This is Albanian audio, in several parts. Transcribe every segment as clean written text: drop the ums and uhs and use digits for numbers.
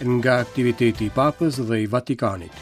Nga aktiviteti i Papës dhe i Vatikanit.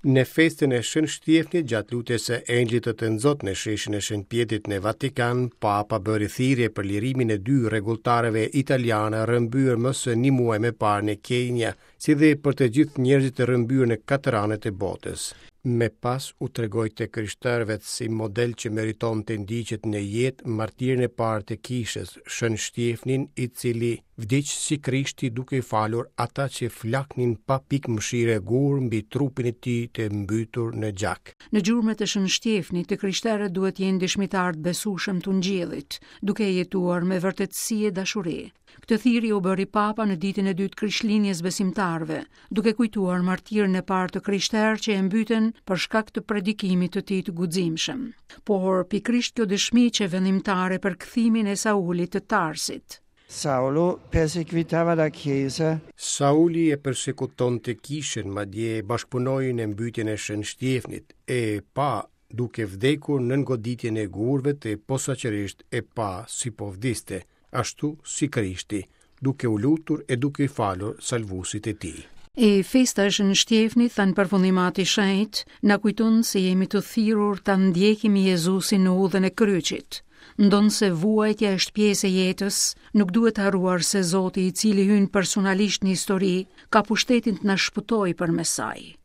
Në festën e Shën Shtjefnit gjatë lutjes së Engjëllit të Tënzot në sheshin e Shën Pjetrit në Vatikan, Papa bëri thirrje për lirimin e dy rregulltarëve italianë rrëmbyer më se një muaj më parë në Kenia, si dhe për të gjithë njerëzit e rrëmbyer në katër anët e botës. Më pas u tregoi të krishterëve si model që meriton të ndiqet në jetë martirin e parë të kishës, Shën Shtjefnin, i cili vdiq si Krishti duke i falur ata që flaknin pa pikë mëshire gurë mbi trupin e tij të mbytur në gjak. Në gjurmët e Shën Shtjefnit, të krishterët duhet të jenë dëshmitarë të besueshëm të Ungjillit, duke e jetuar me vërtetësi e dashuri. Këtë thirrje u bëri Papa në ditën e dytë Krishtlindjes besimtarëve, duke kujtuar martirin e parë të krishterë që e mbytën për shkak të predikimit të tij të guximshëm. Por pikërisht kjo dëshmi qe vendimtare për kthimin e Saulit të Tarsit. Saulo perseguitava la Chiesa. Sauli e persekutonte kishën, madje bashkëpunoi në mbytjen e Shën Shtjefnit, e pa duke vdekur nën goditjen e gurëve e posaçërisht e pa si po vdiste, ashtu si Krishti, duke u lutur e duke i falur salvuesit e tij. E festa e Shën Shtjefnit, tha në përfundim Ati i Shenjtë, na kujton se jemi të thirrur ta ndjekim Jezusin në udhën e kryqit. Ndonëse vuajtja është pjesë e jetës, nuk duhet harruar se Zoti i cili hyn personalisht në histori, ka pushtetin të na shpëtojë përmes saj.